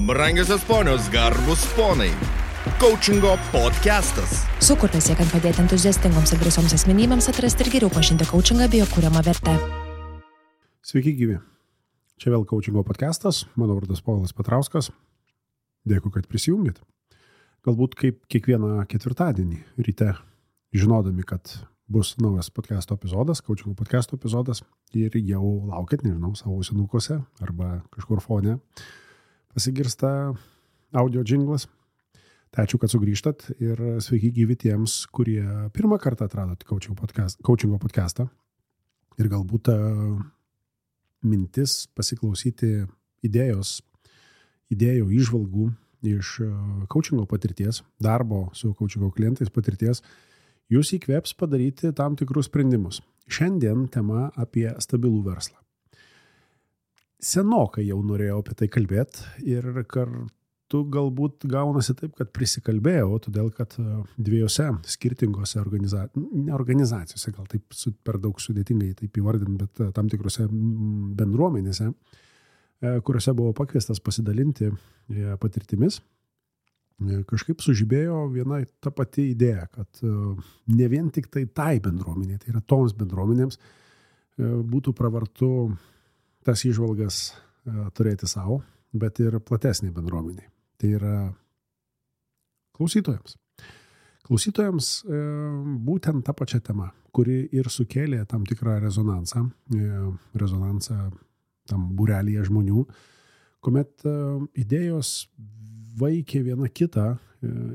Brangiosios ponios, garbus ponai. Coachingo podcastas. Sukurtas siekiant padėti entuziastingoms ir drąsioms asmenybėms atrasti ir geriau pažinti coachingą bei jo kuriamą vertę. Sveiki gyvi. Čia vėl Coachingo podcastas. Mano vardas Povilas Petrauskas. Dėkui, kad prisijungėt. Galbūt kaip kiekvieną ketvirtadienį ryte, žinodami, kad bus naujas podcasto epizodas, Coachingo podcasto epizodas, ir jau laukit, nežinau, savo ausinukose arba kažkur fone pasigirsta audio džinglas. Tai ačiū, kad sugrįžtat ir sveiki gyvi tiems, kurie pirmą kartą atradot Coachingo podcastą ir galbūt mintis pasiklausyti idėjų, įžvalgų iš coachingo patirties, darbo su coachingo klientais patirties, jūs įkvėps padaryti tam tikrus sprendimus. Šiandien tema apie stabilų verslą. Senokai jau norėjau apie tai kalbėti ir kartu galbūt gaunasi taip, kad prisikalbėjau, todėl kad dviejose skirtingose organizacijose, gal taip per daug sudėtingai taip įvardint, bet tam tikrose bendruomenėse, kuriuose buvo pakviestas pasidalinti patirtimis, kažkaip sužibėjo viena ta pati idėja, kad ne vien tik tai bendruomenė, tai yra toms bendruomenėms būtų pravartu tas įžvalgas turėti savo, bet ir platesnė bendruomenė. Tai yra klausytojams. Klausytojams būtent ta pačia tema, kuri ir sukėlė tam tikrą rezonansą tam būrelyje žmonių, kuomet idėjos vaikė viena kitą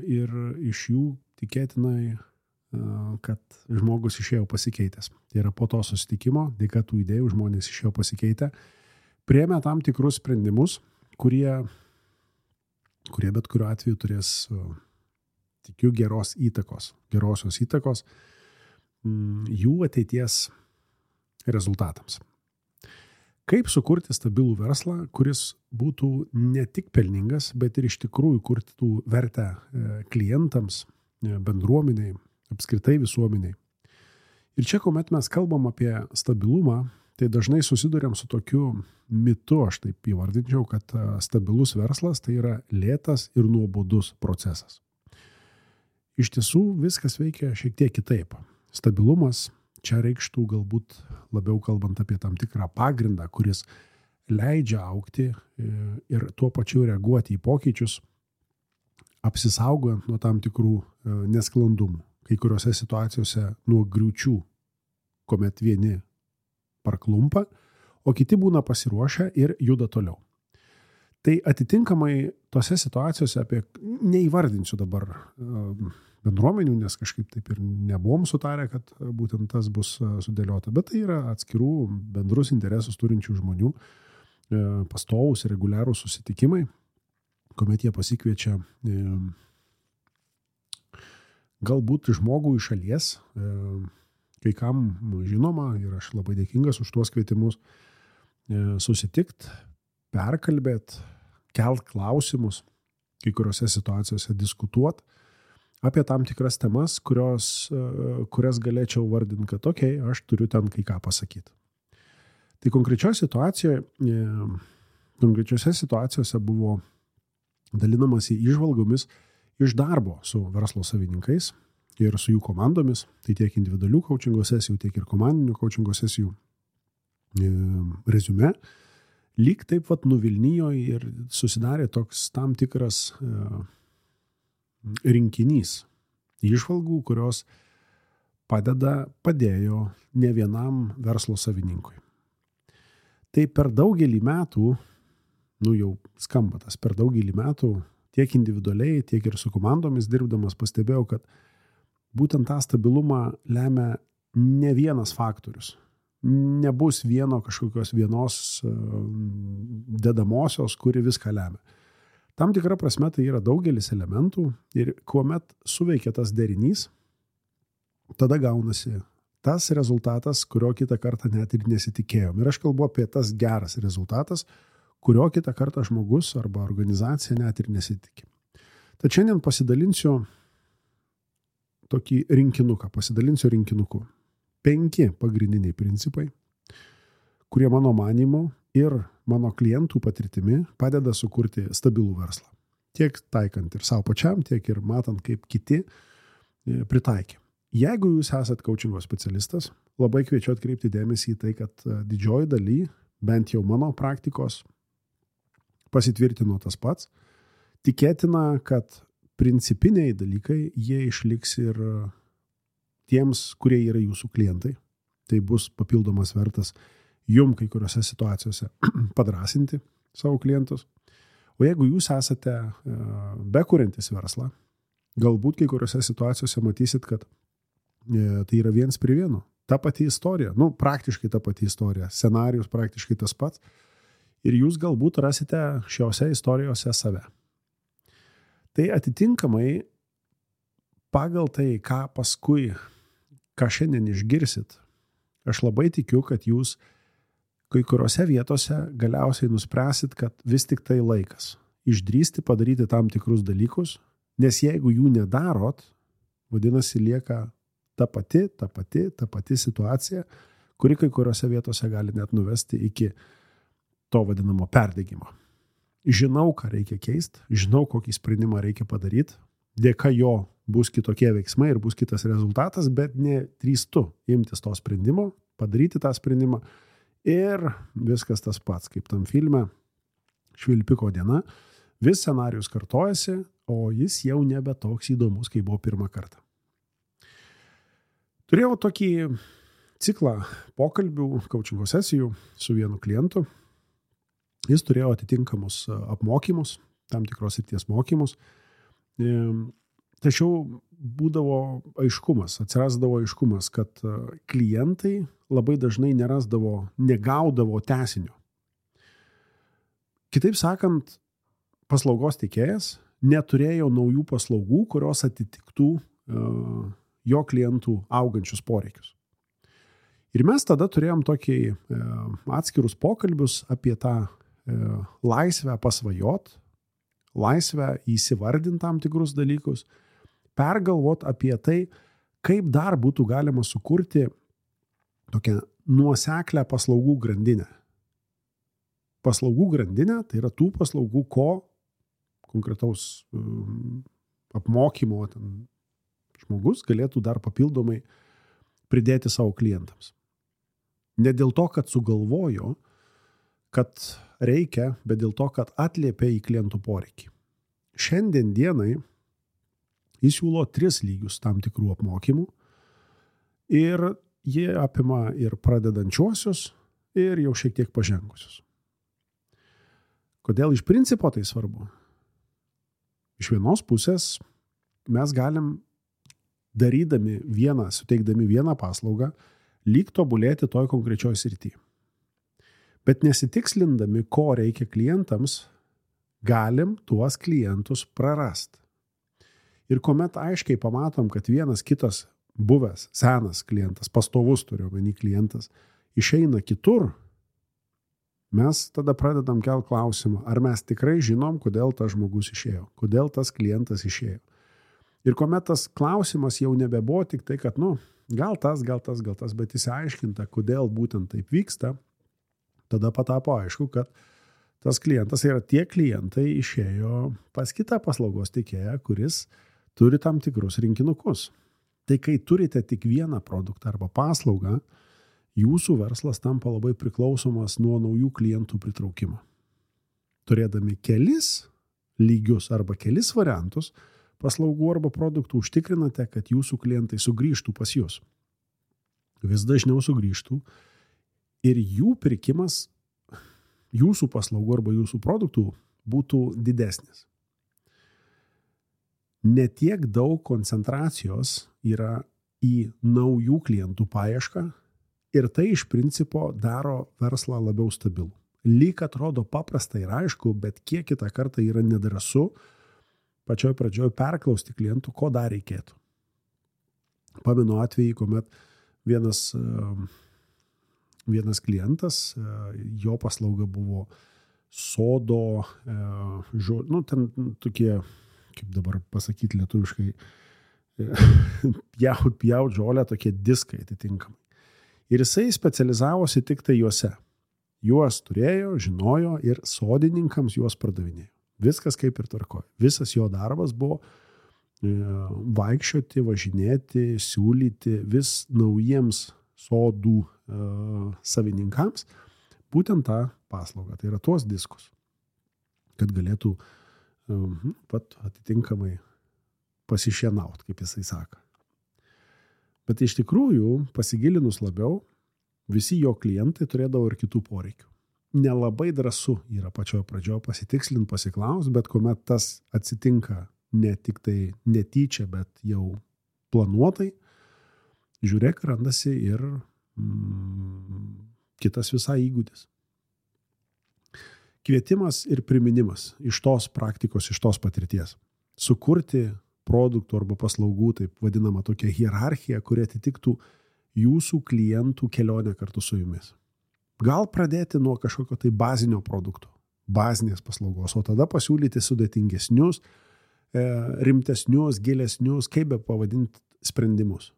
ir iš jų tikėtinai, kad žmogus išėjo pasikeitęs. Tai yra po to susitikimo, dėka tų idėjų žmonės išėjo pasikeitę, priėmė tam tikrus sprendimus, kurie bet kuriuo atveju turės, tikiu, gerosios įtakos jų ateities rezultatams. Kaip sukurti stabilų verslą, kuris būtų ne tik pelningas, bet ir iš tikrųjų kurtų vertę klientams, bendruomeniai, apskritai visuomeniai. Ir čia, kuomet mes kalbam apie stabilumą, tai dažnai susiduriam su tokiu mitu, aš taip įvardinčiau, kad stabilus verslas tai yra lėtas ir nuobodus procesas. Iš tiesų viskas veikia šiek tiek kitaip. Stabilumas čia reikštų galbūt labiau kalbant apie tam tikrą pagrindą, kuris leidžia augti ir tuo pačiu reaguoti į pokyčius, apsisaugojant nuo tam tikrų nesklandumų. Kai kuriuose situacijose nuo griūčių, kuomet vieni parklumpa, o kiti būna pasiruošę ir juda toliau. Tai atitinkamai tose situacijose, neįvardinsiu dabar bendruomenių, nes kažkaip taip ir nebuvom sutarę, kad būtent tas bus sudėliota, bet tai yra atskirų bendrus interesus turinčių žmonių pastovūs ir reguliarūs susitikimai, kuomet jie pasikviečia galbūt žmogų iš šalies, kai kam žinoma, ir aš labai dėkingas už tuos kvietimus, susitikt, perkalbėt, kelt klausimus, kai kuriuose situacijose diskutuot apie tam tikras temas, kurias galėčiau vardinti, kad aš turiu ten kai ką pasakyti. Tai konkrečiose situacijose buvo dalinamasi įžvalgomis iš darbo su verslo savininkais ir su jų komandomis, tai tiek individualių coachingo sesijų, tiek ir komandinių coachingo sesijų reziume, lyg taip nuvilnijo ir susidarė toks tam tikras rinkinys įžvalgų, kurios padėjo ne vienam verslo savininkui. Tai per daugelį metų, jau skamba tas, per daugelį metų tiek individualiai, tiek ir su komandomis dirbdamas pastebėjau, kad būtent tą stabilumą lemia ne vienas faktorius. Nebus kažkokios vienos dedamosios, kuri viską lemia. Tam tikra prasme tai yra daugelis elementų ir kuomet suveikia tas derinys, tada gaunasi tas rezultatas, kurio kitą kartą net ir nesitikėjom. Ir aš kalbu apie tas geras rezultatas, kurio kitą kartą žmogus arba organizacija net ir nesitikė. Tad šiandien pasidalinsiu rinkinuku. 5 pagrindiniai principai, kurie mano manymu ir mano klientų patirtimi padeda sukurti stabilų verslą. Tiek taikant ir savo pačiam, tiek ir matant, kaip kiti pritaikė. Jeigu jūs esat coachingo specialistas, labai kviečiu atkreipti dėmesį į tai, kad didžioji daly, bent jau mano praktikos, pasitvirtino tas pats. Tikėtina, kad principiniai dalykai, jie išliks ir tiems, kurie yra jūsų klientai. Tai bus papildomas vertas jum kai kuriuose situacijose padrasinti savo klientus. O jeigu jūs esate bekuriantis verslą, galbūt kai kuriuose situacijose matysit, kad tai yra 1:1. Ta pati istorija, praktiškai ta pati istorija, scenarijus praktiškai tas pats. Ir jūs galbūt rasite šiose istorijose save. Tai atitinkamai pagal tai, ką šiandien išgirsit, aš labai tikiu, kad jūs kai kuriuose vietose galiausiai nuspręsit, kad vis tik tai laikas išdrįsti padaryti tam tikrus dalykus, nes jeigu jų nedarot, vadinasi lieka ta pati situacija, kuri kai kuriuose vietose gali net nuvesti iki to vadinamo perdegimo. Žinau, ką reikia keisti, žinau, kokį sprendimą reikia padaryti, dėka jo bus kitokie veiksmai ir bus kitas rezultatas, bet nedrįstu imtis to sprendimo, padaryti tą sprendimą ir viskas tas pats, kaip tam filme Švilpiko diena, vis scenarijus kartojasi, o jis jau nebe toks įdomus, kaip buvo pirmą kartą. Turėjau tokį ciklą pokalbių, coachingo sesijų su vienu klientu. Jis turėjo atitinkamus apmokymus, tam tikros srities mokymus. Tačiau atsirasdavo aiškumas, kad klientai labai dažnai negaudavo tęsinio. Kitaip sakant, paslaugos teikėjas neturėjo naujų paslaugų, kurios atitiktų jo klientų augančius poreikius. Ir mes tada turėjom tokį atskirus pokalbius apie tą laisvę pasvajot, laisvę įsivardinti tam tikrus dalykus, pergalvot apie tai, kaip dar būtų galima sukurti tokią nuoseklę paslaugų grandinę. Paslaugų grandinė tai yra tų paslaugų, ko konkretaus apmokymo žmogus galėtų dar papildomai pridėti savo klientams. Ne dėl to, kad sugalvojo, kad reikia, bet dėl to, kad atliepia į klientų poreikį. Šiandien dienai jis siūlo 3 lygius tam tikrų apmokymų ir jie apima ir pradedančiuosius, ir jau šiek tiek pažengusius. Kodėl iš principo tai svarbu? Iš vienos pusės mes galim suteikdami vieną paslaugą, lyg tobulėti toj konkrečioj srity. Bet nesitikslindami, ko reikia klientams, galim tuos klientus prarast. Ir kuomet aiškiai pamatom, kad vienas kitas buvęs, senas klientas, pastovus turiu omeny klientas, išeina kitur, mes tada pradedam kelt klausimą, ar mes tikrai žinom, kodėl tas žmogus išėjo, kodėl tas klientas išėjo. Ir kuomet tas klausimas jau nebebuvo tik tai, kad, gal tas, bet įsiaiškinta, kodėl būtent taip vyksta, tada patapo aišku, kad tas klientas yra tie klientai išėjo pas kitą paslaugos teikėją, kuris turi tam tikrus rinkinukus. Tai kai turite tik vieną produktą arba paslaugą, jūsų verslas tampa labai priklausomas nuo naujų klientų pritraukimo. Turėdami kelis lygius arba kelis variantus paslaugų arba produktų užtikrinate, kad jūsų klientai sugrįžtų pas jūs. Vis dažniau sugrįžtų ir jų pirkimas jūsų paslaugų arba jūsų produktų būtų didesnis. Netiek daug koncentracijos yra į naujų klientų paiešką ir tai iš principo daro verslą labiau stabilų. Lyg atrodo paprasta ir aišku, bet kiek kitą kartą yra nedrąsu pačioj pradžioj perklausti klientų, ko dar reikėtų. Pamenu atvejį, kuomet vienas klientas, jo paslauga buvo sodo, ten tokie, kaip dabar pasakyti lietuviškai, pjaut žolę, tokie diskai atitinkamai. Ir jisai specializavosi tik tai juose. Juos turėjo, žinojo ir sodininkams juos pardavinėjo. Viskas kaip ir tvarkoja. Visas jo darbas buvo vaikščioti, važinėti, siūlyti vis naujiems sodų savininkams būtent tą paslaugą. Tai yra tuos diskus, kad galėtų pat atitinkamai pasišienauti, kaip jisai sako. Bet iš tikrųjų, pasigilinus labiau, visi jo klientai turėdavo ir kitų poreikių. Nelabai drąsu yra pačioje pradžioje pasitikslinti, pasiklausti, bet kuomet tas atsitinka ne tik tai netyčia, bet jau planuotai, žiūrėk, randasi ir kitas visai įgūdis. Kvietimas ir priminimas iš tos praktikos, iš tos patirties. Sukurti produktų arba paslaugų, taip vadinama tokia hierarchija, kuri atitiktų jūsų klientų kelionę kartu su jumis. Gal pradėti nuo kažkokio tai bazinio produkto, bazinės paslaugos, o tada pasiūlyti sudėtingesnius, rimtesnius, gilesnius, kaip be pavadinti sprendimus.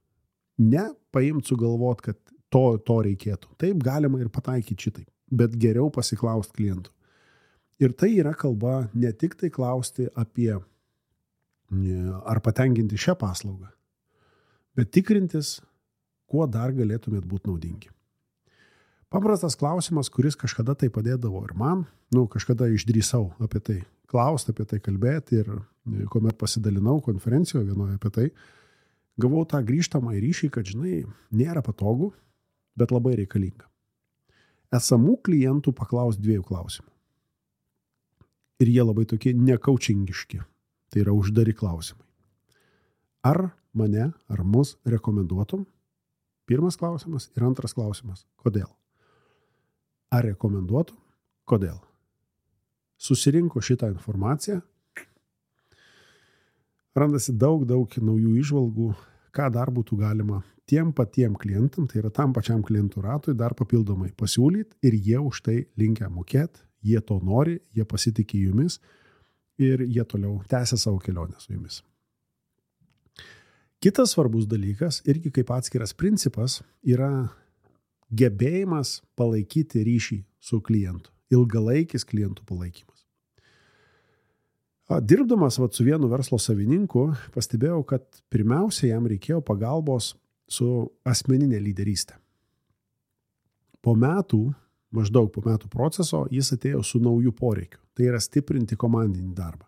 Ne paimti sugalvot, kad to reikėtų. Taip galima ir pataikyti šitai, bet geriau pasiklausti klientų. Ir tai yra kalba ne tik tai klausti apie ar patenkinti šią paslaugą, bet tikrintis, kuo dar galėtumėt būti naudingi. Paprastas klausimas, kuris kažkada tai padėdavo ir man, kažkada išdrįsau apie tai klausti, apie tai kalbėti ir kuomet pasidalinau konferencijoje vienoje apie tai, gavau tą grįžtamą ryšį, kad, nėra patogu, bet labai reikalinga. Esamų klientų paklaus 2 klausimų. Ir jie labai tokie nekaučingiški. Tai yra uždari klausimai. Ar mane, ar mus rekomenduotum? Pirmas klausimas ir antras klausimas. Kodėl? Ar rekomenduotum? Kodėl? Susirinko šitą informaciją. Randasi daug naujų įžvalgų, ką dar būtų galima tiem patiem klientam, tai yra tam pačiam klientų ratui, dar papildomai pasiūlyti ir jie už tai linkę mokėti, jie to nori, jie pasitikė jumis ir jie toliau tęsia savo kelionę su jumis. Kitas svarbus dalykas, irgi kaip atskiras principas, yra gebėjimas palaikyti ryšį su klientu, ilgalaikis klientų palaikymas. Dirbdamas su vienu verslo savininku, pastebėjau, kad pirmiausia jam reikėjo pagalbos su asmeninė lyderystė. Maždaug po metų proceso, jis atėjo su nauju poreikiu. Tai yra stiprinti komandinį darbą.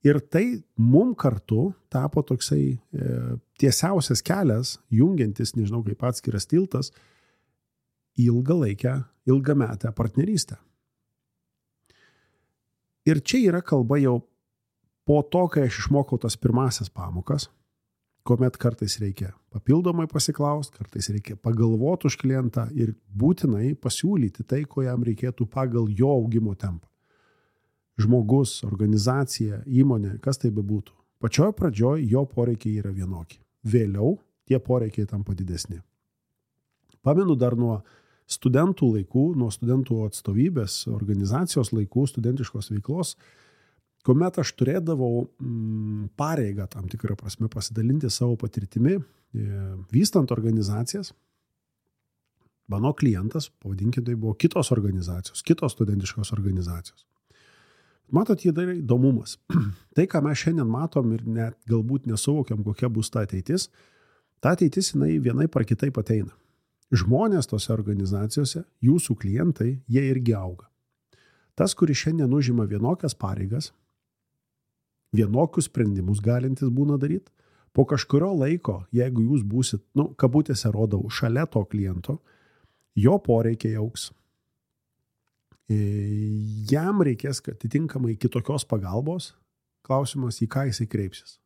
Ir tai mum kartu tapo toksai tiesiausias kelias, jungiantis, nežinau kaip atskiras tiltas, ilgametę partnerystę. Ir čia yra kalba jau po to, kai aš išmokau tas pirmasias pamokas, kuomet kartais reikia papildomai pasiklausti, kartais reikia pagalvoti už klientą ir būtinai pasiūlyti tai, ko jam reikėtų pagal jo augimo tempą. Žmogus, organizacija, įmonė, kas tai bebūtų. Pačioje pradžioje jo poreikiai yra vienokie. Vėliau tie poreikiai tampa didesni. Pamenu dar nuo studentų laikų, nuo studentų atstovybės, organizacijos laikų, studentiškos veiklos, kuomet aš turėdavau pareigą tam tikrą prasme pasidalinti savo patirtimi, vystant organizacijas, mano klientas, pavadinkime, tai buvo kitos organizacijos, kitos studentiškos organizacijos. Matot, jie dar įdomumas. Tai, ką mes šiandien matom ir net galbūt nesuvokiam, kokia bus ta ateitis jinai vienai par kitaip ateina. Žmonės tose organizacijose, jūsų klientai, jie irgi auga. Tas, kuris šiandien užima vienokias pareigas, vienokius sprendimus galintis būna daryti, po kažkurio laiko, jeigu jūs būsit, kabutėse rodau, šalia to kliento, jo poreikiai augs. Jam reikės atitinkamai kitokios pagalbos, klausimas, į ką jisai kreipsis.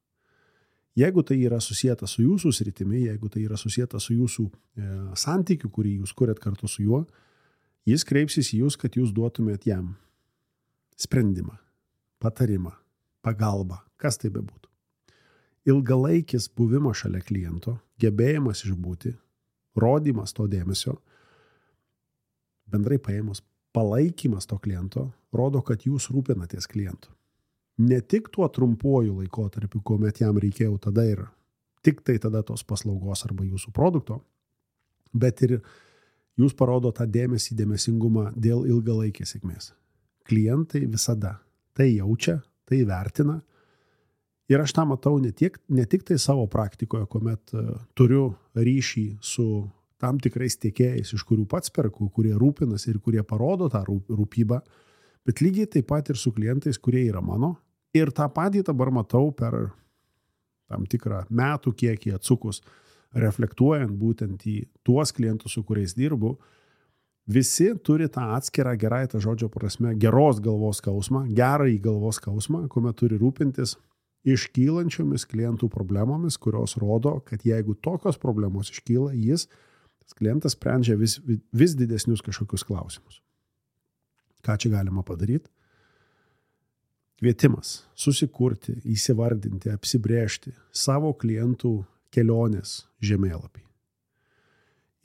Jeigu tai yra susijęta su jūsų sritimi, jeigu tai yra susijęta su jūsų santykiu, kurį jūs kuriat kartu su juo, jis kreipsis į jūs, kad jūs duotumėt jam sprendimą, patarimą, pagalbą, kas tai bebūtų. Ilgalaikis buvimas šalia kliento, gebėjimas išbūti, rodymas to dėmesio, bendrai paėmus palaikymas to kliento, rodo, kad jūs rūpinatės klientu. Ne tik tuo trumpuoju laikotarpiu, kuomet jam reikėjo tada ir tik tai tada tos paslaugos arba jūsų produkto, bet ir Jūs parodo tą dėmesingumą dėl ilgalaikės sėkmės. Klientai visada tai jaučia, tai vertina. Ir aš tą matau ne tik tai savo praktikoje, kuomet turiu ryšį su tam tikrais tiekėjais, iš kurių pats perku, kurie rūpinasi ir kurie parodo tą rūpybą, bet lygiai taip pat ir su klientais, kurie yra mano. Ir tą patį dabar matau per tam tikrą metų kiekį atsukus, reflektuojant būtent į tuos klientus, su kuriais dirbu. Visi turi tą atskirą gerąją tą žodžio prasme geros galvos skausmą, gerąjį galvos skausmą, kuomet turi rūpintis iškylančiomis klientų problemomis, kurios rodo, kad jeigu tokios problemos iškyla, tas klientas sprendžia vis didesnius kažkokius klausimus. Ką čia galima padaryti? Kvietimas susikurti, įsivardinti, apsibrėžti savo klientų kelionės žemėlapį.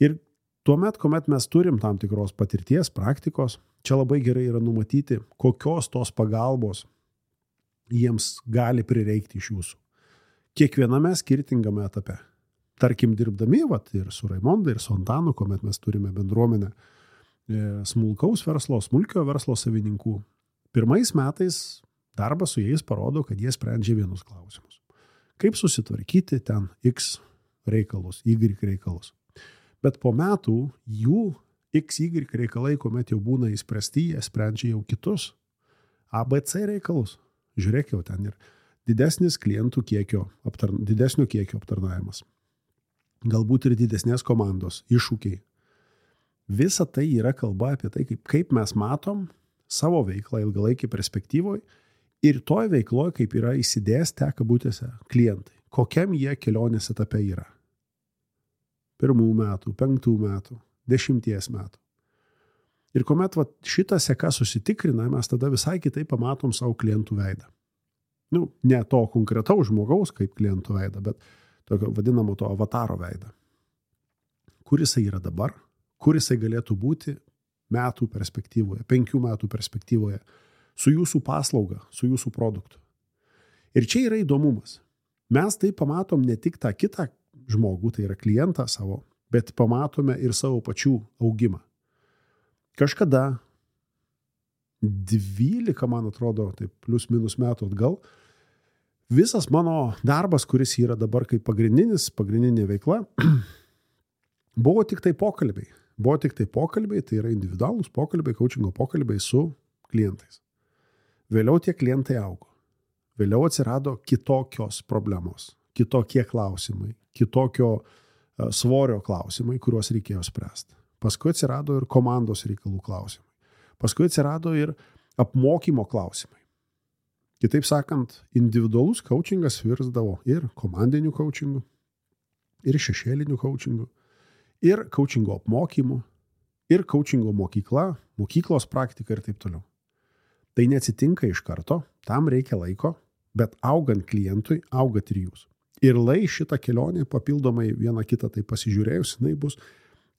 Ir tuomet, kuomet mes turim tam tikros patirties, praktikos, čia labai gerai yra numatyti, kokios tos pagalbos jiems gali prireikti iš jūsų. Kiekviename skirtingame etape. Tarkim, dirbdami ir su Raimonda, ir su Antanu, kuomet mes turime bendruomenę smulkiojo verslo savininkų. Pirmais metais darbas su jais parodo, kad jie sprendžia vienus klausimus. Kaip susitvarkyti ten X reikalus, Y reikalus. Bet po metų jų XY reikalai, kuomet jau būna įspręsti, jie sprendžia jau kitus ABC reikalus. Žiūrėk, jau ten ir didesnis klientų didesnio kiekio aptarnavimas. Galbūt ir didesnės komandos, iššūkiai. Visa tai yra kalba apie tai, kaip mes matom savo veiklą ilgalaikį perspektyvoje ir toj veikloje, kaip yra įsidėstę kabutėse klientai. Kokiam jie kelionės etape yra. 1 metų, 5 metų, 10 metų. Ir kuomet šitą seką susitikrina, mes tada visai kitaip pamatom savo klientų veidą. Ne to konkretaus žmogaus kaip klientų veidą, bet tokio vadinamo to avataro veidą. Kur jisai yra dabar, kur jisai galėtų būti metų perspektyvoje, 5 metų perspektyvoje, su jūsų paslauga, su jūsų produktu. Ir čia yra įdomumas. Mes tai pamatom ne tik tą kitą žmogų, tai yra klientą savo, bet pamatome ir savo pačių augimą. Kažkada 12, man atrodo, taip plius minus metų atgal, visas mano darbas, kuris yra dabar kaip pagrindinė veikla, buvo tik tai pokalbiai. Tai yra individualūs pokalbiai, coachingo pokalbiai su klientais. Vėliau tie klientai augo. Vėliau atsirado kitokios problemos, kitokie klausimai, kitokio svorio klausimai, kuriuos reikėjo spręsti. Paskui atsirado ir komandos reikalų klausimai. Paskui atsirado ir apmokymo klausimai. Kitaip sakant, individualus coachingas virsdavo ir komandinių coachingų, ir šešėlinių coachingų, ir coachingo apmokymų, ir coachingo mokyklos praktika ir taip toliau. Tai neatsitinka iš karto, tam reikia laiko, bet augant klientui, augat ir jūs. Ir šitą kelionę papildomai vieną kitą tai pasižiūrėjus, jinai bus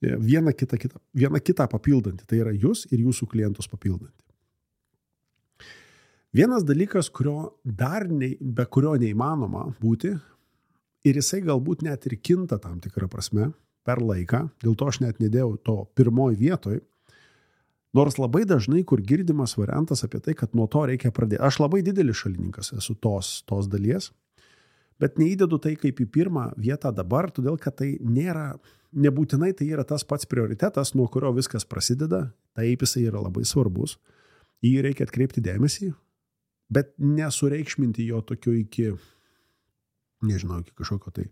viena kitą papildanti. Tai yra jūs ir jūsų klientus papildanti. Vienas dalykas, be kurio neįmanoma būti, ir jisai galbūt net ir kinta tam tikrą prasme per laiką, dėl to aš net nedėjau to pirmoj vietoj, nors labai dažnai, kur girdimas variantas apie tai, kad nuo to reikia pradėti. Aš labai didelis šalininkas esu tos dalies, bet neįdedu tai kaip į pirmą vietą dabar, todėl kad tai nebūtinai tai yra tas pats prioritetas, nuo kurio viskas prasideda, taip jisai yra labai svarbus, jį reikia atkreipti dėmesį, bet nesureikšminti jo tokio iki kažkokio tai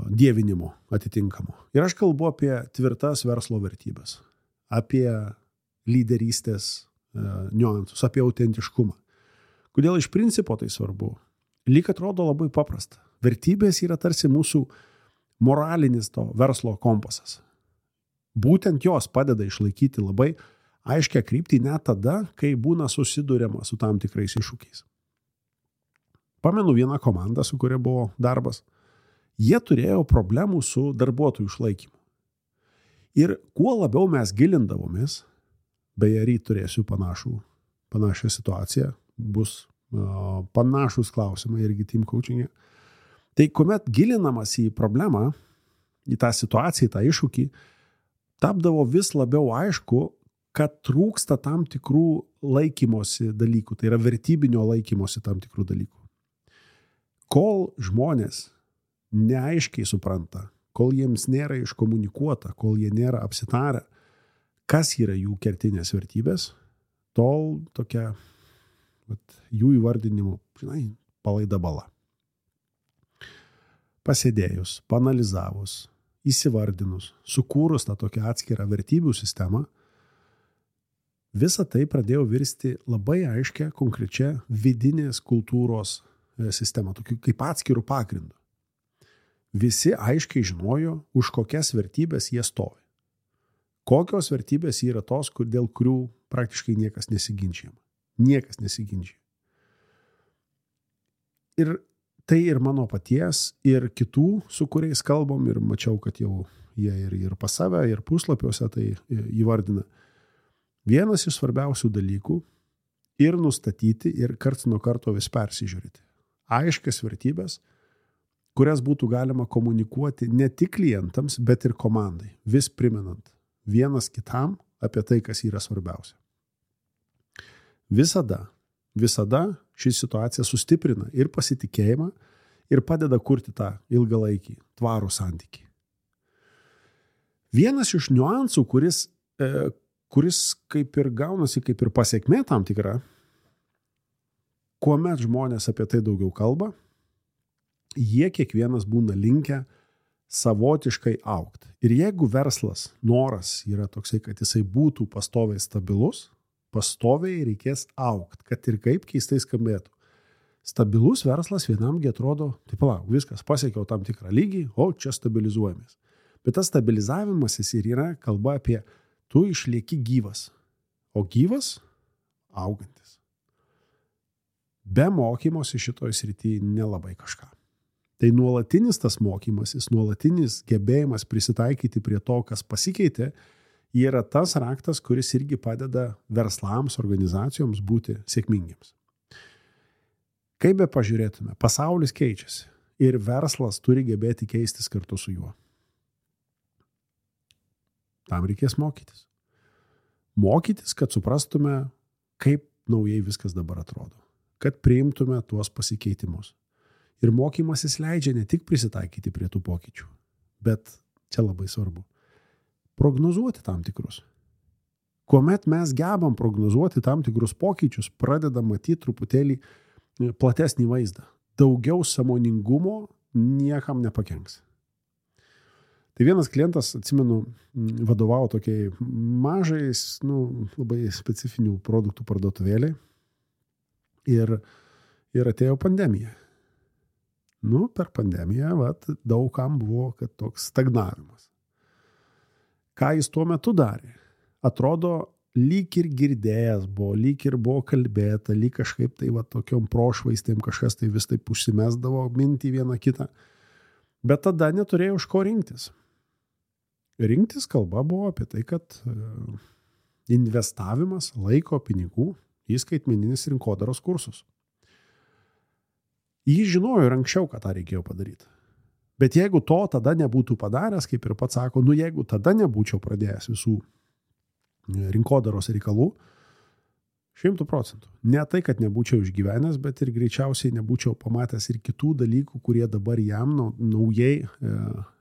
dievinimo atitinkamo. Ir aš kalbu apie tvirtas verslo vertybės, apie lyderystės niuansus, apie autentiškumą. Kodėl iš principo tai svarbu? Lyg atrodo labai paprasta. Vertybės yra tarsi mūsų moralinis to verslo kompasas. Būtent jos padeda išlaikyti labai aiškią kryptį net tada, kai būna susiduriama su tam tikrais iššūkiais. Pamenu vieną komandą, su kuria buvo darbas. Jie turėjo problemų su darbuotojų išlaikymu. Ir kuo labiau mes gilindavomės, beje, ryt turėsiu panašią situaciją, bus panašus klausimai irgi team coaching'e. Tai kuomet gilinamas į problemą, į tą situaciją, į tą iššūkį, tapdavo vis labiau aišku, kad trūksta tam tikrų laikymosi dalykų, tai yra vertybinio laikymosi tam tikrų dalykų. Kol žmonės neaiškiai supranta, kol jiems nėra iškomunikuota, kol jie nėra apsitarę, kas yra jų kertinės vertybės, tol tokia jų įvardinimu, palaida bala. Pasėdėjus, panalizavus, įsivardinus, sukūrus tą tokią atskirą vertybių sistemą, visa tai pradėjo virsti labai aiškia, konkrečia vidinės kultūros sistema, tokiu kaip atskirų pagrindų. Visi aiškiai žinojo, už kokias vertybės jie stovi. Kokios vertybės yra tos, dėl kurių praktiškai niekas nesiginčijama. Niekas nesiginčia. Ir tai ir mano paties, ir kitų, su kuriais kalbam, ir mačiau, kad jau jie ir pas save, ir puslapiuose tai įvardina. Vienas iš svarbiausių dalykų ir nustatyti, ir karts nuo karto vis persižiūrėti. Aiškias vertybės, kurias būtų galima komunikuoti ne tik klientams, bet ir komandai, vis primenant vienas kitam apie tai, kas yra svarbiausia. Visada ši situacija sustiprina ir pasitikėjimą, ir padeda kurti tą ilgalaikį, tvarų santykį. Vienas iš niuansų, kuris kaip ir gaunasi, kaip ir pasekmė tam tikra, kuomet žmonės apie tai daugiau kalba, jie kiekvienas būna linkę savotiškai augti. Ir jeigu verslas, noras yra toksai, kad jisai būtų pastoviai stabilus, pastoviai reikės augti, kad ir kaip keistai skambėtų. Stabilus verslas vienamgi atrodo, tai palauk, viskas, pasiekiau tam tikrą lygį, o čia stabilizuojamės. Bet tas stabilizavimasis ir yra kalba apie tu išlieki gyvas, o gyvas augantis. Be mokymosi šitoj srityje nelabai kažką. Tai nuolatinis tas mokymasis, nuolatinis gebėjimas prisitaikyti prie to, kas pasikeitė, yra tas raktas, kuris irgi padeda verslams, organizacijoms būti sėkmingiams. Kaip be pažiūrėtume, pasaulis keičiasi ir verslas turi gebėti keistis kartu su juo. Tam reikės mokytis. Mokytis, kad suprastume, kaip naujai viskas dabar atrodo. Kad priimtume tuos pasikeitimus. Ir mokymasis leidžia ne tik prisitaikyti prie tų pokyčių, bet čia labai svarbu. Prognozuoti tam tikrus. Kuomet mes gebam prognozuoti tam tikrus pokyčius, pradedam matyti truputėlį platesnį vaizdą. Daugiau sąmoningumo niekam nepakenks. Tai vienas klientas, atsimenu, vadovavo tokiai mažais, labai specifinių produktų parduotuvėliai ir atėjo pandemija. Per pandemiją daugam buvo kad toks stagnavimas. Ką jis tuo metu darė? Atrodo, lyg ir girdėjęs buvo, lyg ir buvo kalbėta, lyg kažkaip tai tokiom prošvaistėm kažkas tai vis taip užsimesdavo mintį vieną kitą. Bet tada neturėjo už ko rinktis. Rinktis kalba buvo apie tai, kad investavimas laiko pinigų į skaitmeninius rinkodaros kursus. Jis žinojo ir anksčiau, kad tą reikėjo padaryti. Bet jeigu to tada nebūtų padaręs, kaip ir pats sako, jeigu tada nebūčiau pradėjęs visų rinkodaros reikalų, 100%. Ne tai, kad nebūčiau išgyvenęs, bet ir greičiausiai nebūčiau pamatęs ir kitų dalykų, kurie dabar jam naujai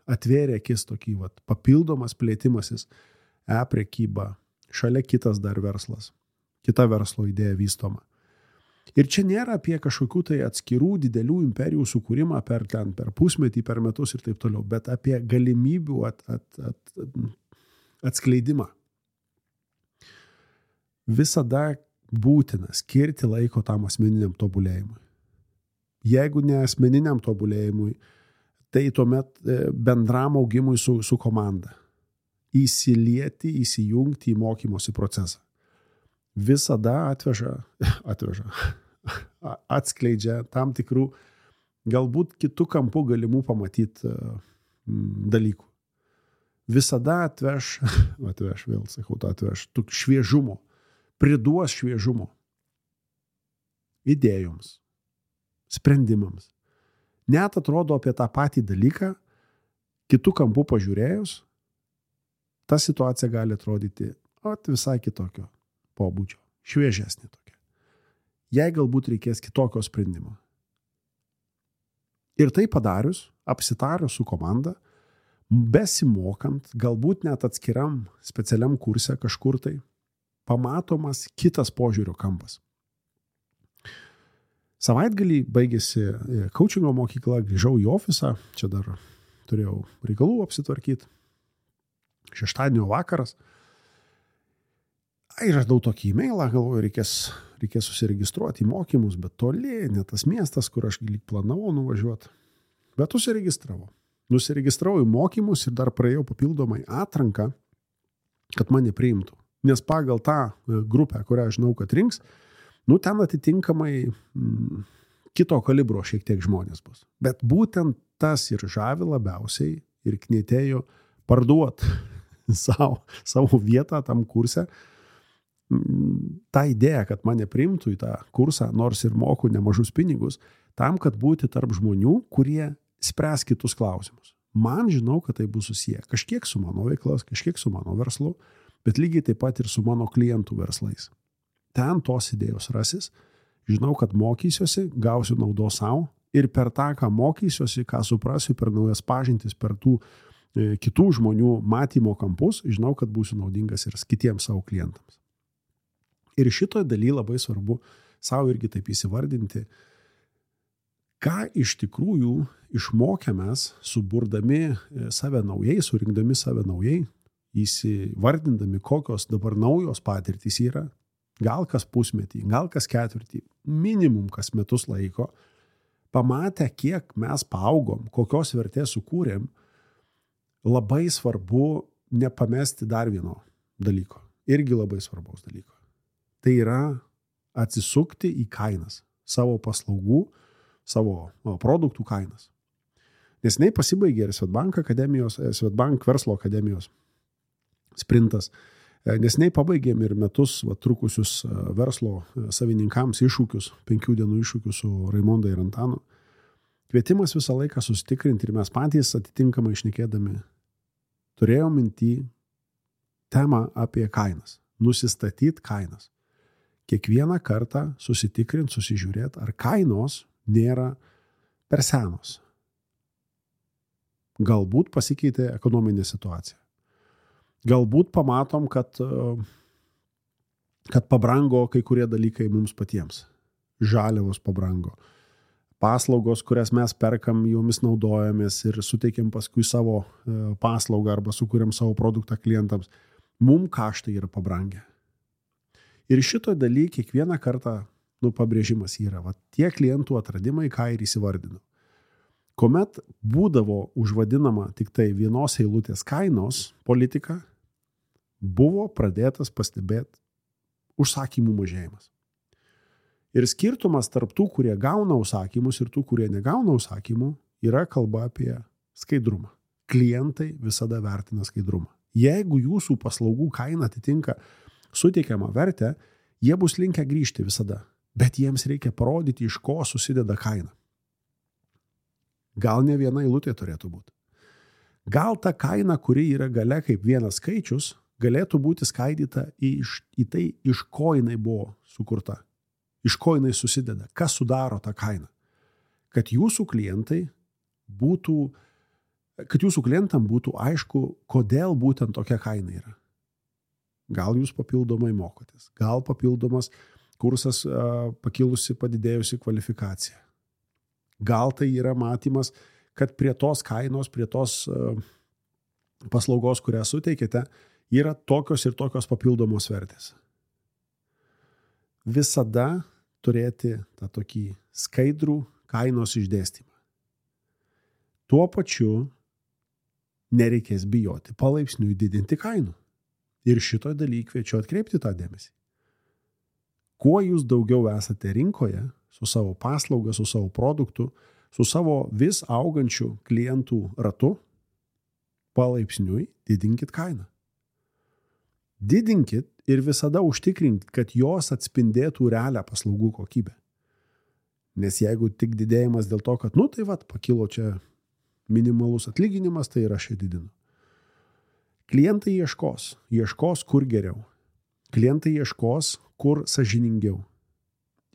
atvėrė akis tokį papildomas plėtimasis, prekyba, šalia kitas dar verslas, kita verslo idėja vystoma. Ir čia nėra apie kažkokių tai atskirų didelių imperijų sukūrimą per pusmetį, per metus ir taip toliau, bet apie galimybių atskleidimą. Visada būtina skirti laiko tam asmeniniam tobulėjimui. Jeigu ne asmeniniam tobulėjimui, tai tuomet bendram augimui su komanda. Įsilieti, įsijungti į mokymosi procesą. Visada atskleidžia tam tikrų galbūt kitų kampų galimų pamatyti dalykų. Visada atveš šviežumo, priduos šviežumo idėjoms, sprendimams. Net atrodo apie tą patį dalyką, kitų kampų pažiūrėjus, ta situacija gali atrodyti visai kitokio pobūdžio, šviežesnė tokia. Jei galbūt reikės kitokio sprendimo. Ir tai padarius, apsitarius su komanda, besimokant, galbūt net atskiram specialiam kurse kažkur tai, pamatomas kitas požiūrio kampas. Savaitgalį baigėsi coachingo mokykla, grįžau į ofisą, čia dar turėjau reikalų apsitvarkyti, šeštadienio vakaras. Ir radau tokį e-mailą, galvoju, reikės susiregistruoti į mokymus, bet toli, ne tas miestas, kur aš lyg planavau nuvažiuoti. Bet užsiregistravau. Nusiregistravau į mokymus ir dar praėjau papildomai atranką, kad mane priimtų. Nes pagal tą grupę, kurią žinau, kad rinks, ten atitinkamai kito kalibro šiek tiek žmonės bus. Bet būtent tas ir žavi labiausiai ir knietėjo parduoti savo vietą tam kurse. Ta idėja, kad mane priimtų į tą kursą, nors ir moku nemažus pinigus, tam, kad būti tarp žmonių, kurie spręs kitus klausimus. Man žinau, kad tai bus susiję kažkiek su mano veiklas, kažkiek su mano verslu, bet lygiai taip pat ir su mano klientų verslais. Ten tos idėjos rasis, žinau, kad mokysiuosi, gausiu naudos savo ir per tą, ką mokysiuosi, ką suprasiu, per naujas pažintis, per tų kitų žmonių matymo kampus, žinau, kad būsiu naudingas ir kitiems savo klientams. Ir šitoje daly labai svarbu savo irgi taip įsivardinti, ką iš tikrųjų išmokėmės, suburdami save naujai, surinkdami save naujai, įsivardindami, kokios dabar naujos patirtys yra, gal kas pusmetį, gal kas ketvirtį, minimum kas metus laiko, pamatę, kiek mes paaugom, kokios vertės sukūrėm, labai svarbu nepamesti dar vieno dalyko, irgi labai svarbaus dalyko. Tai yra atsisukti į kainas, savo paslaugų, savo produktų kainas. Neseniai pasibaigė ir Swedbank verslo akademijos sprintas. Neseniai pabaigėm ir metus trukusius verslo savininkams iššūkius, 5 dienų iššūkius su Raimonda ir Antanu. Kvietimas visą laiką susitikrinti ir mes patys atitinkamai šnekėdami turėjom minty temą apie kainas, nusistatyti kainas. Kiekvieną kartą susitikrinti, susižiūrėti, ar kainos nėra per senos. Galbūt pasikeitė ekonominė situacija. Galbūt pamatom, kad pabrango kai kurie dalykai mums patiems. Žaliavos pabrango. Paslaugos, kurias mes perkam, jomis naudojamės ir suteikiam paskui savo paslaugą arba sukūrėm savo produktą klientams. Mum kaštai yra pabrangę. Ir šito daly kiekvieną kartą pabrėžimas yra. Tie klientų atradimai, ką ir įsivardinu. Kuomet būdavo užvadinama tik tai vienos eilutės kainos politika, buvo pradėtas pastebėti užsakymų mažėjimas. Ir skirtumas tarp tų, kurie gauna užsakymus ir tų, kurie negauna užsakymų, yra kalba apie skaidrumą. Klientai visada vertina skaidrumą. Jeigu jūsų paslaugų kaina atitinka suteikiamą vertę, jie bus linkę grįžti visada, bet jiems reikia parodyti, iš ko susideda kaina. Gal ne viena eilutė turėtų būti. Gal ta kaina, kuri yra gale kaip vienas skaičius, galėtų būti skaidyta į tai, iš ko jinai buvo sukurta, iš ko jinai susideda, kas sudaro tą kainą. Kad jūsų klientam būtų aišku, kodėl būtent tokia kaina yra. Gal jūs papildomai mokotės, gal papildomas kursas pakilusi, padidėjusi kvalifikacija. Gal tai yra matymas, kad prie tos kainos, prie tos paslaugos, kurią suteikėte, yra tokios ir tokios papildomos vertės. Visada turėti tą tokį skaidrų kainos išdėstymą. Tuo pačiu nereikės bijoti palaipsniui didinti kainų. Ir šito daly kviečiu atkreipti tą dėmesį. Kuo jūs daugiau esate rinkoje, su savo paslauga, su savo produktu, su savo vis augančiu klientų ratu, palaipsniui didinkit kainą. Didinkit ir visada užtikrinkit, kad jos atspindėtų realią paslaugų kokybę. Nes jeigu tik didėjimas dėl to, kad, pakilo čia minimalus atlyginimas, tai ir aš jį didinu. Klientai ieškos kur geriau. Klientai ieškos kur sąžiningiau.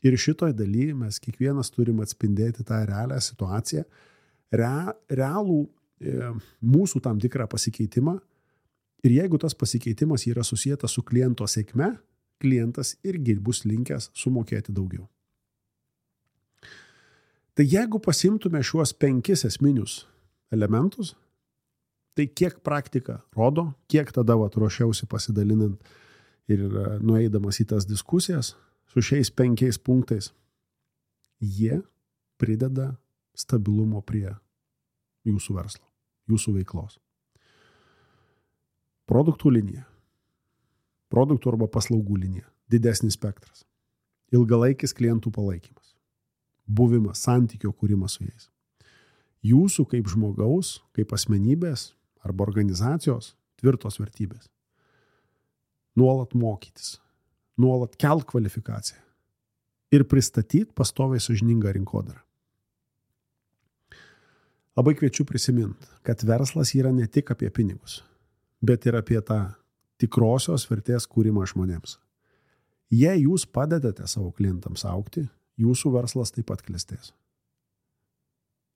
Ir šitoj daly mes kiekvienas turim atspindėti tą realią situaciją, realų mūsų tam tikrą pasikeitimą. Ir jeigu tas pasikeitimas yra susijęs su kliento sėkme, klientas irgi bus linkęs sumokėti daugiau. Tai jeigu pasimtume šiuos 5 esminius elementus, tai kiek praktika rodo, kiek tada ruošiausi pasidalinant ir nueidamas į tas diskusijas su šiais 5 punktais, jie prideda stabilumo prie jūsų verslo, jūsų veiklos. Produktų linija, produktų arba paslaugų linija, didesnis spektras, ilgalaikis klientų palaikymas, buvimas, santykio kūrimas su jais. Jūsų kaip žmogaus, kaip asmenybės arba organizacijos tvirtos vertybės. Nuolat mokytis, nuolat kelt kvalifikaciją ir pristatyti pastoviai sąžiningą rinkodarą. Labai kviečiu prisiminti, kad verslas yra ne tik apie pinigus, bet ir apie tą tikrosios vertės kūrimą žmonėms. Jei jūs padedate savo klientams augti, jūsų verslas taip pat klestės.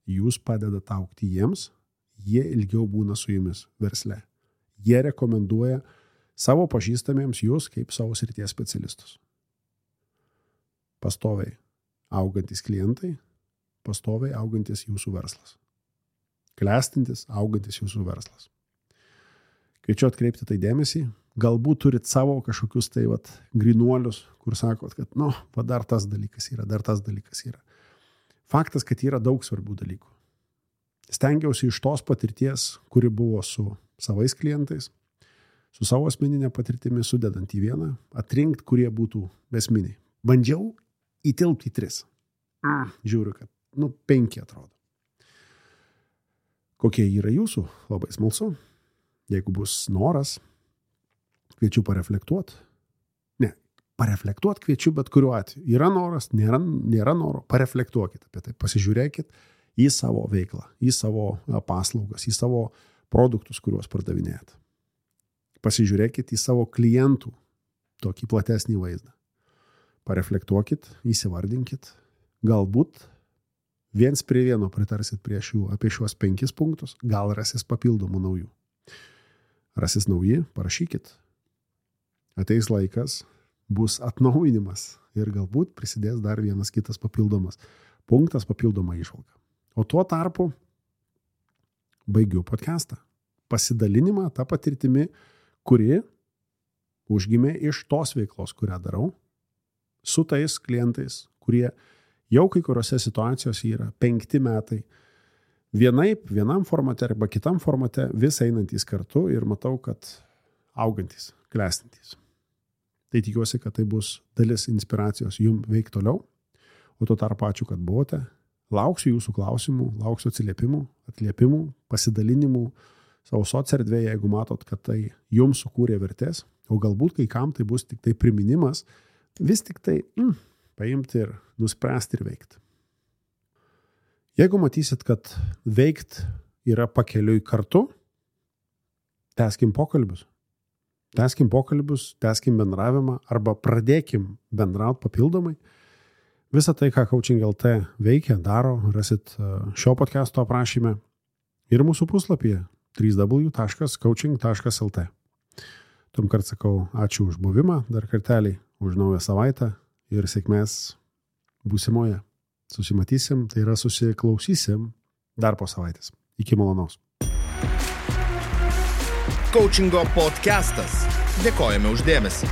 Jūs padedate augti jiems, jie ilgiau būna su jumis versle. Jie rekomenduoja savo pažįstamiems jūs kaip savo srities specialistus. Pastoviai augantis klientai, pastoviai augantis jūsų verslas. Klestintis, augantis jūsų verslas. Kviečiu atkreipti tai dėmesį. Galbūt turit savo kažkokius tai grinuolius, kur sakot, kad dar tas dalykas yra. Faktas, kad yra daug svarbių dalykų. Stengiausi iš tos patirties, kuri buvo su savais klientais, su savo asmeninė patirtimi sudedant į vieną, atrinkti, kurie būtų esminiai. Bandžiau įtilpti į 3. Žiūriu, kad 5 atrodo. Kokie yra jūsų? Labai smalsu. Jeigu bus noras, kviečiu pareflektuoti. Pareflektuoti kviečiu, bet kuriuo atveju. Yra noras, nėra noro, pareflektuokit apie tai. Pasižiūrėkit į savo veiklą, į savo paslaugas, į savo produktus, kuriuos pardavinėjat. Pasižiūrėkit į savo klientų tokį platesnį vaizdą. Pareflektuokit, įsivardinkit. Galbūt 1 prie 1 pritarsit apie šiuos 5 punktus, gal rasis papildomų naujų. Rasis nauji, parašykit. Ateis laikas, bus atnaujinimas ir galbūt prisidės dar vienas kitas papildomas punktas, papildoma įžvalga. O tuo tarpu baigiu podcastą. Pasidalinimą tą patirtimi, kuri užgimė iš tos veiklos, kurią darau, su tais klientais, kurie jau kai kuriuose situacijose yra 5 metai vienam formate arba kitam formate vis einantys kartu ir matau, kad augantys, klestintys. Tai tikiuosi, kad tai bus dalis inspiracijos jums veikti toliau. O tuo tarpu ačiū, kad buvote. Lauksiu jūsų klausimų, lauksiu atliepimų, pasidalinimų savo socierdvėje, jeigu matot, kad tai jums sukūrė vertės, o galbūt kai kam tai bus tik tai priminimas, vis tik tai paimti ir nuspręsti ir veikti. Jeigu matysit, kad veikt yra pakeliui kartu, tęskim pokalbius, tęskim bendravimą arba pradėkim bendrauti papildomai. Visą tai, ką Coaching LT veikia, daro, rasit šio podcasto aprašyme ir mūsų puslapyje www.coaching.lt. Tuomkart sakau ačiū už buvimą, dar kartelį už naują savaitę ir sėkmės būsimoje. Susimatysim, tai yra susiklausysim dar po savaitės. Iki malonaus. Coachingo podcastas. Dėkojame už dėmesį.